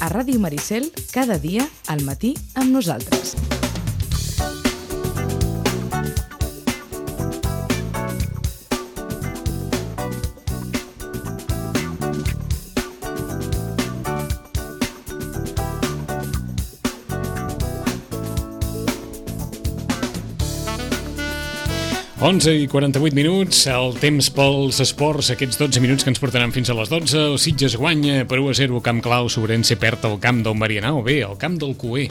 a Ràdio Maricel, cada dia al matí amb nosaltres. Onze i 48 minuts, el temps pels esports, aquests 12 minuts que ens portaran fins a les 12. El Sitges guanya per 1-0, camp clau, Sobrense perd el camp del Marianao, bé, el camp del Cué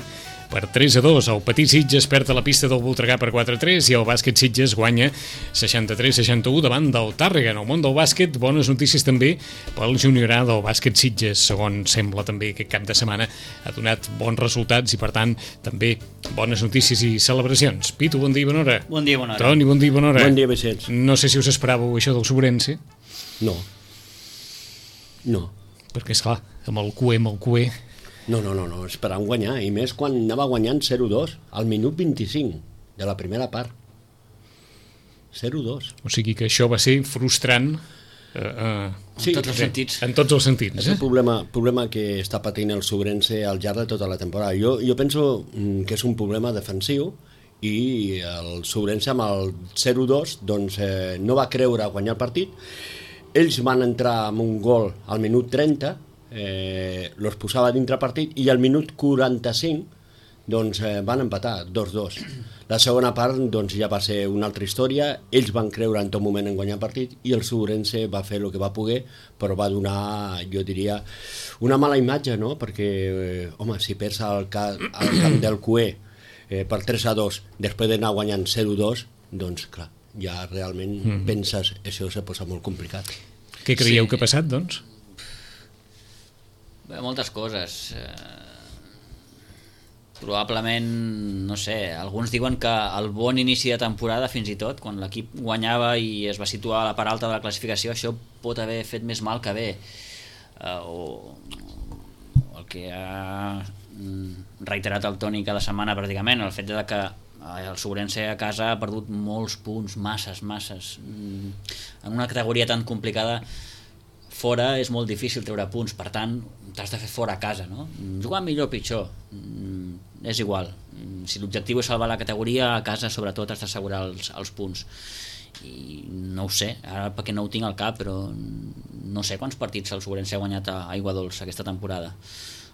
per 3-2, el Petit Sitges perd a la pista del Voltregà per 4-3 i el bàsquet Sitges guanya 63-61 davant del Tàrrega. En el món del bàsquet, bones notícies també pel junior A del bàsquet Sitges, segons sembla també aquest cap de setmana ha donat bons resultats i per tant també bones notícies i celebracions. Pitu, bon dia i bona hora. Bon dia i bona hora. Toni, bon dia i bona hora. Bon dia, Vicenç. No sé si us esperàveu això del Sobrense. No. Perquè, esclar, amb el cué. No, esperant guanyar, i més quan anava guanyant 0-2 al minut 25 de la primera part. 0-2. O sigui que això va ser frustrant Sí, tots els sentits. en tots els sentits. És el problema que està patint el Sobrense al llarg de tota la temporada. Jo penso que és un problema defensiu i el Sobrense amb el 0-2 doncs, no va creure guanyar el partit. Ells van entrar amb un gol al minut 30, los posava dintre partit, i al minut 45 doncs, van empatar 2-2. La segona part doncs, ja va ser una altra història. Ells van creure en tot moment en guanyar el partit i el Sobrense va fer el que va poder, però va donar, jo diria, una mala imatge, no? Perquè, home, si perds al camp del Cué per 3-2 després d'anar guanyant 0-2, doncs clar, ja realment penses, això se posa molt complicat. Què creieu que ha passat, doncs? Bé, moltes coses. Probablement, no sé, alguns diuen que el bon inici de temporada, fins i tot, quan l'equip guanyava i es va situar a la part alta de la classificació, això pot haver fet més mal que bé. O el que ha reiterat el Toni cada setmana pràcticament, el fet de que el Sobrense a casa ha perdut molts punts, masses. En una categoria tan complicada, fora és molt difícil treure punts, per tant t'has de fer fora a casa, no? Jugar millor o pitjor, és igual. Si l'objectiu és salvar la categoria, a casa sobretot has d'assegurar els punts. I no ho sé, ara perquè no ho tinc al cap, però no sé quants partits el Sobrense ha guanyat a Aigua Dolça aquesta temporada.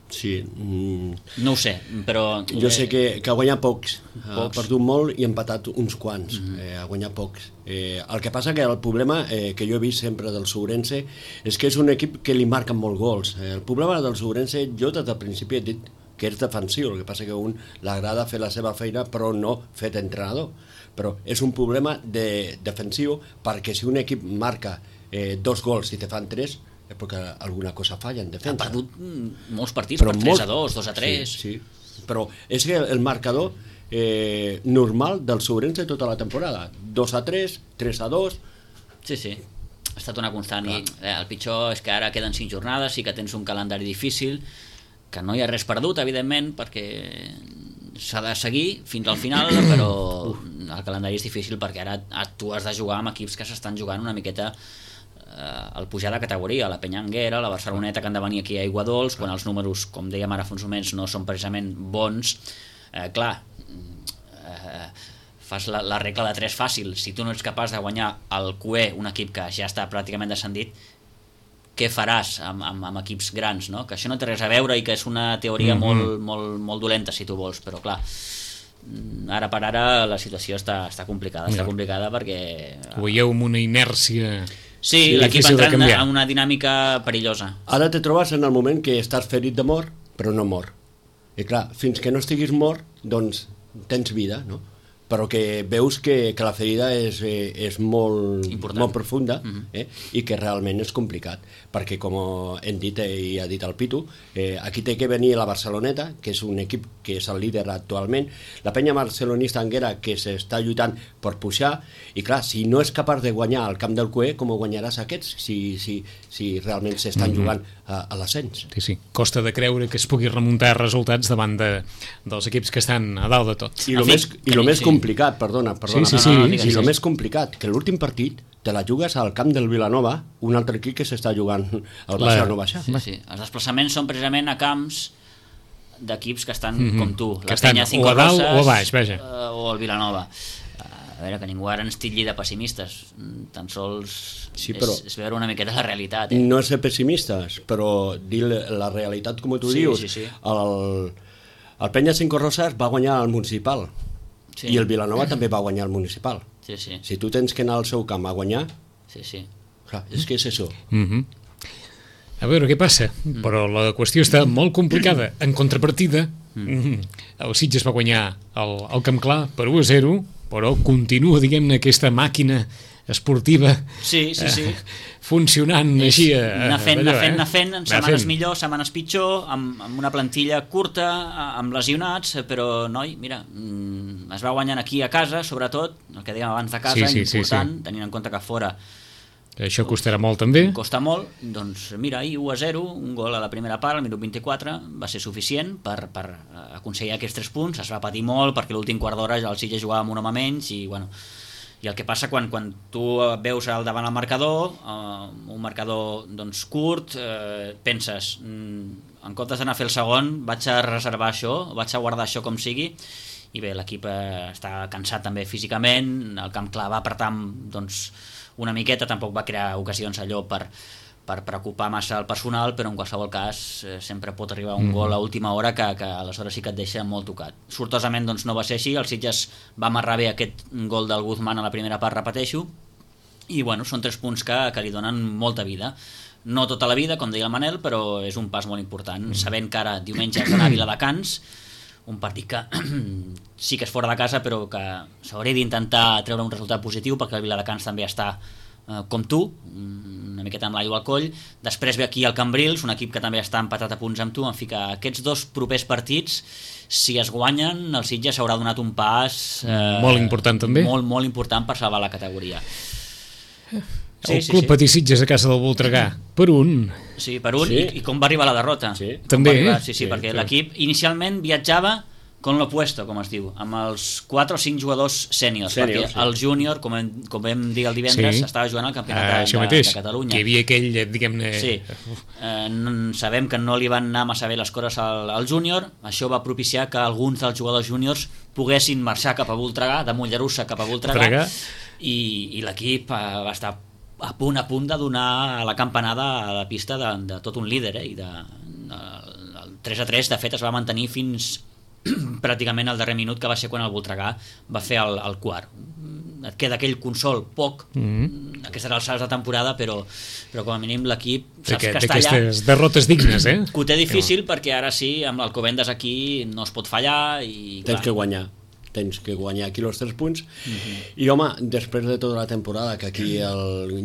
Sí. No ho sé, però... Jo sé que ha guanyat pocs. Ha perdut molt i ha empatat uns quants. Ha guanyat pocs. El que passa que el problema que jo he vist sempre del Sobrense és que és un equip que li marquen molt gols. El problema del Sobrense, jo des del principi he dit que és defensiu, el que passa que a un l'agrada fer la seva feina però no fet entrenador. Però és un problema defensiu, perquè si un equip marca 2 gols i te fan 3, és perquè alguna cosa falla en defensa. Ha perdut molts partits per 3-2, 2-3. Sí. Però és que el marcador normal del Sobrense tota la temporada, 2-3, 3-2... Sí. Ha estat una constant. I el pitjor és que ara queden 5 jornades, sí que tens un calendari difícil, que no hi ha res perdut, evidentment, perquè s'ha de seguir fins al final, però el calendari és difícil perquè ara tu has de jugar amb equips que s'estan jugant una miqueta el pujar de categoria, la Penyanguera, la Barceloneta, que han de venir aquí a Aigua Dols, quan els números, com dèiem ara fa uns moments, no són precisament bons. Fas la regla de 3 fàcil. Si tu no ets capaç de guanyar el Cué, un equip que ja està pràcticament descendit, què faràs amb equips grans, no? Que això no té res a veure i que és una teoria molt dolenta, si tu vols, però clar, ara per ara la situació està complicada. Està complicada perquè... Ho veieu amb una inèrcia... Sí, l'equip entrant en una dinàmica perillosa. Ara te trobes en el moment que estàs ferit de mort, però no mort. I clar, fins que no estiguis mort, doncs tens vida, no? Però que veus que la ferida és molt profunda i que realment és complicat, perquè com hem dit i ha dit el Pitu, aquí té que venir la Barceloneta, que és un equip que és el líder actualment, la penya barcelonista Anguera, que s'està lluitant per pujar, i clar, si no és capaç de guanyar al camp del Cué, com ho guanyaràs aquests si realment s'estan jugant a l'ascens? Sí, costa de creure que es pugui remuntar resultats davant dels equips que estan a dalt de tot. I el més complicat complicat, perdona. Sí. I el més complicat, que l'últim partit te la jugues al camp del Vilanova, un altre equip que s'està jugant al baixar o no baixar. Sí. Els desplaçaments són precisament a camps d'equips que estan com tu, la Penya Cinco Roses o a baix, o el Vilanova. A veure, que ningú ara ens titlli de pessimistes, tan sols és veure una miqueta la realitat. No és ser pessimistes, però dir la realitat com tu dius. Sí. El Penya Cinco Roses va guanyar el municipal i el Vilanova també va guanyar el municipal. Sí. Si tu tens que anar al seu camp a guanyar, clar, és que és això. A veure què passa, però la qüestió està molt complicada. En contrapartida, el Sitges va guanyar el Camp Clar per 1-0, però continua, diguem-ne, aquesta màquina esportiva funcionant així. Anar fent, setmanes millor, setmanes pitjor, amb una plantilla curta, amb lesionats, però, noi, mira, es va guanyant aquí a casa, sobretot, el que dèiem abans de casa, important, tenint en compte que fora això costarà molt també. Costa molt, doncs mira, ahir 1-0, un gol a la primera part, al minut 24, va ser suficient per aconseguir aquests 3 punts. Es va patir molt perquè l'últim quart d'hora el Sitges jugava amb un home menys i el que passa quan tu veus al davant el marcador, un marcador doncs, curt, penses, en comptes d'anar a fer el segon, vaig a reservar això, vaig a guardar això com sigui, i bé, l'equip està cansat també físicament, el Camp Clar va apretar doncs, una miqueta, tampoc va crear ocasions allò per preocupar massa el personal, però en qualsevol cas sempre pot arribar un gol a última hora que aleshores sí que et deixa molt tocat. Sortosament doncs, no va ser així, el Sitges va amarrar bé aquest gol del Guzmán a la primera part, repeteixo, i bueno, són 3 punts que li donen molta vida. No tota la vida, com deia el Manel, però és un pas molt important, sabent que ara diumenge has d'anar a Viladecans, un partit que sí que és fora de casa, però que s'hauria d'intentar treure un resultat positiu, perquè el Viladecans també està com tu, una miqueta amb l'aigua al coll. Després ve aquí el Cambrils, un equip que també està empatat a punts amb tu, en fi que aquests 2 propers partits, si es guanyen, el Sitges s'haurà donat un pas molt important també, molt important per salvar la categoria. El Club Patí Sitges a casa del Voltregà per 1. Sí, per 1, i com va arribar la derrota. També, perquè l'equip inicialment viatjava con l'opuesto, com es diu, amb els 4 o 5 jugadors sèniors, perquè el júnior, com vam dir el divendres, estava jugant al campionat de Catalunya. Que hi havia aquell, diguem-ne... Sí, sabem que no li van anar massa bé les coses al júnior, això va propiciar que alguns dels jugadors júniors poguessin marxar cap a Voltregà, de Mollerussa cap a Voltregà, i l'equip va estar a punt de donar la campanada a la pista de tot un líder, i el 3-3 de fet es va mantenir fins pràcticament al darrer minut, que va ser quan el Voltregà va fer el quart. Et queda aquell consol poc aquestes alçades de temporada, però com a mínim l'equip saps que està allà, d'aquestes derrotes dignes, que ho té difícil, perquè ara sí, amb l'Alcobendas aquí no es pot fallar i tens que guanyar aquí els 3 punts. I home, després de tota la temporada, que aquí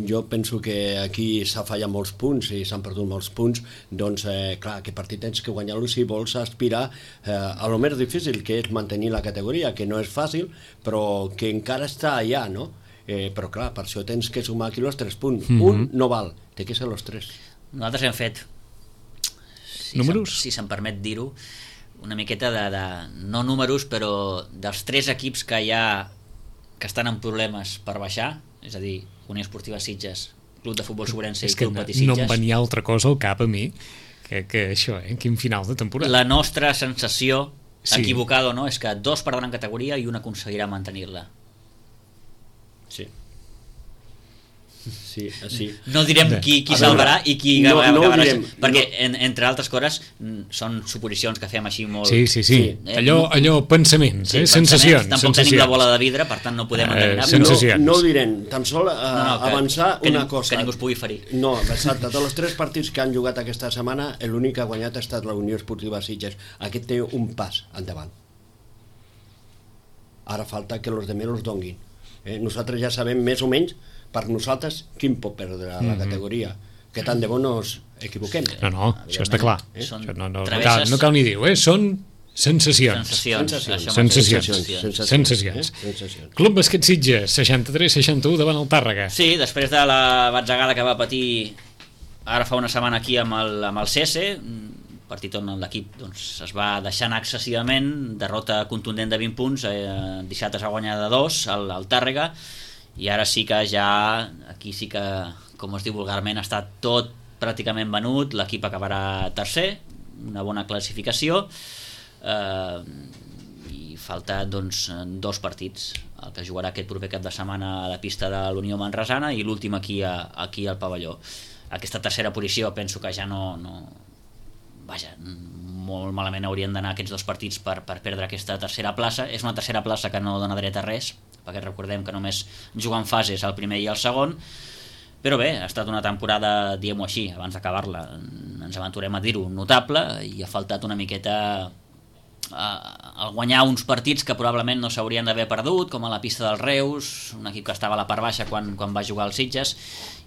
jo penso que aquí s'ha fallat molts punts i s'han perdut molts punts, doncs clar, aquest partit tens que guanyar-lo si vols aspirar a lo més difícil, que és mantenir la categoria, que no és fàcil, però que encara està allà, no? Però clar, per això tens que sumar aquí els 3 punts. Un no val, té que ser els 3. Nosaltres hem fet, números, si se'm permet dir-ho, una miqueta de no números, però dels 3 equips que hi ha que estan en problemes per baixar, és a dir, Unió Esportiva Sitges, Club de Futbol Sobrense i Club Patí Sitges. No em venia altra cosa al cap a mi que això, quin final de temporada. La nostra sensació, equivocada o no, és que 2 perdran categoria i 1 aconseguirà mantenir-la. Sí. Sí. No direm qui salvarà i qui acabarà, perquè entre altres coses són suposicions que fem així molt... Sí. Allò pensaments, sensacions. Tampoc tenim la bola de vidre, per tant no podem endevinar. No ho direm, tan sol avançar una cosa. Que ningú es pugui ferir. No, exacte, tots els 3 partits que han jugat aquesta setmana, l'únic que ha guanyat ha estat la Unió Esportiva Sitges. Aquest té un pas endavant. Ara falta que els altres els donguin. Nosaltres ja sabem més o menys per nosaltres quin pot perdre la categoria, que tant de bo no ens equivoquem. No, això està clar. No cal ni dir, són sensacions. Club Bàsquet Sitges 63-61 davant el Tàrrega. Sí, després de la batzegada que va patir ara fa una setmana aquí amb el CS, partit on l'equip doncs, es va deixar anar excessivament, derrota contundent de 20 punts, dissabte s'ha guanyat de 2 al Tàrrega, i ara sí que ja, aquí sí que, com es diu vulgarment, està tot pràcticament venut, l'equip acabarà tercer, una bona classificació, i falta doncs 2 partits, el que jugarà aquest proper cap de setmana a la pista de l'Unió Manresana i l'últim aquí al pavelló. Aquesta tercera posició penso que ja no vaja, molt malament haurien d'anar aquests 2 partits per perdre aquesta tercera plaça. És una tercera plaça que no dona dret a res, perquè recordem que només juguen fases el primer i el segon, però bé, ha estat una temporada, diguem-ho així, abans d'acabar-la, ens aventurem a dir-ho, notable, i ha faltat una miqueta al guanyar uns partits que probablement no s'haurien d'haver perdut, com a la pista dels Reus, un equip que estava a la part baixa quan va jugar als Sitges,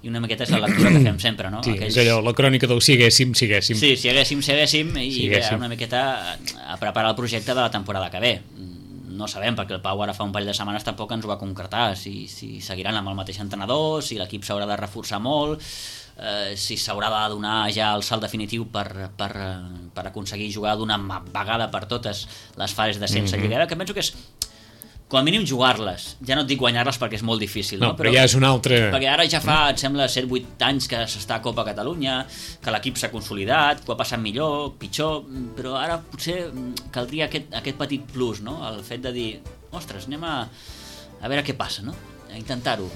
i una miqueta és la lectura que fem sempre, no? Sí, és allò, la crònica del si haguéssim. Sí, si haguéssim, i bé, una miqueta a preparar el projecte de la temporada que ve. No sabem, perquè el Pau ara fa un parell de setmanes tampoc ens ho va concretar, si seguiran amb el mateix entrenador, si l'equip s'haurà de reforçar molt, si s'haurà de donar ja el salt definitiu per aconseguir jugar d'una vegada per totes les fases de sense Lliga, que penso que és com a mínim jugar-les, ja no et dic guanyar-les perquè és molt difícil, no? Però ja és una altra... Perquè ara ja fa, et sembla, 7-8 anys que s'està a Copa Catalunya, que l'equip s'ha consolidat, que ho ha passat millor, pitjor, però ara potser caldria aquest petit plus, no? El fet de dir, ostres, anem a veure què passa, no? A intentar-ho.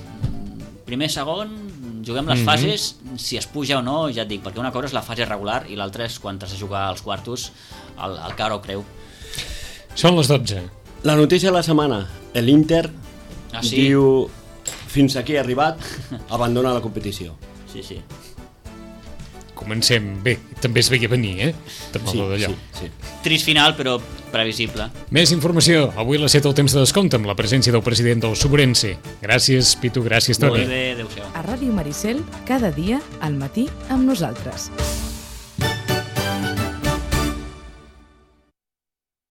Primer, segon, juguem les fases, si es puja o no, ja et dic, perquè una cosa és la fase regular i l'altra és quan has de jugar als quartos, el cara ho creu. Són les 12. La notícia de la setmana, l'Inter diu fins aquí ha arribat, abandona la competició. Sí. Comencem bé, també es veia venir, Sí. Trist final, però previsible. Més informació, avui a les 7 el temps de descompte amb la presència del president del Subrense. Gràcies, Pitu, gràcies, Toni. Molt bé, adéu-siau. A Ràdio Maricel, cada dia, al matí, amb nosaltres.